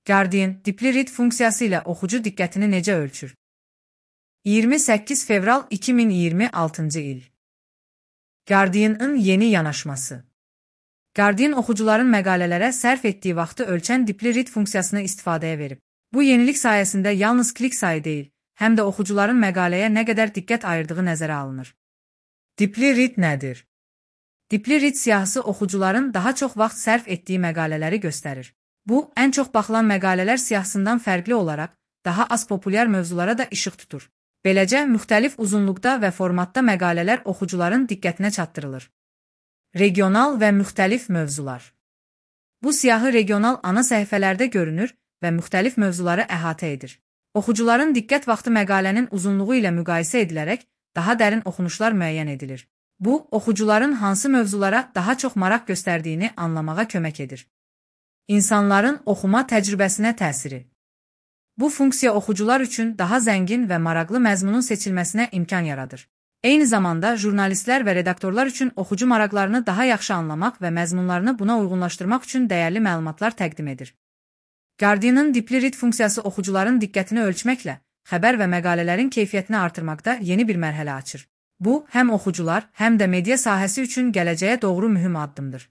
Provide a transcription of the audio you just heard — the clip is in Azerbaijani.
Guardian, dipli read funksiyası ilə oxucu diqqətini necə ölçür? 28 fevral 2026-cı il. Guardian'ın yeni yanaşması. Guardian oxucuların məqalələrə sərf etdiyi vaxtı ölçən dipli read funksiyasını istifadəyə verib. Bu yenilik sayəsində yalnız klik sayı deyil, həm də oxucuların məqaləyə nə qədər diqqət ayırdığı nəzərə alınır. Dipli read nədir? Dipli read siyahısı oxucuların daha çox vaxt sərf etdiyi məqalələri göstərir. Bu, ən çox baxılan məqalələr siyahısından fərqli olaraq, daha az populyar mövzulara da işıq tutur. Beləcə, müxtəlif uzunluqda və formatda məqalələr oxucuların diqqətinə çatdırılır. Regional və müxtəlif mövzular. Bu siyahı regional ana səhifələrdə görünür və müxtəlif mövzuları əhatə edir. Oxucuların diqqət vaxtı məqalənin uzunluğu ilə müqayisə edilərək daha dərin oxunuşlar müəyyən edilir. Bu, oxucuların hansı mövzulara daha çox maraq göstərdiyini anlamağa kömək edir. İnsanların oxuma təcrübəsinə təsiri. Bu funksiya oxucular üçün daha zəngin və maraqlı məzmunun seçilməsinə imkan yaradır. Eyni zamanda, jurnalistlər və redaktorlar üçün oxucu maraqlarını daha yaxşı anlamaq və məzmunlarını buna uyğunlaşdırmaq üçün dəyərli məlumatlar təqdim edir. Guardian'ın dipli read funksiyası oxucuların diqqətini ölçməklə xəbər və məqalələrin keyfiyyətini artırmaqda yeni bir mərhələ açır. Bu, həm oxucular, həm də media sahəsi üçün gələcəyə doğru mühüm addımdır.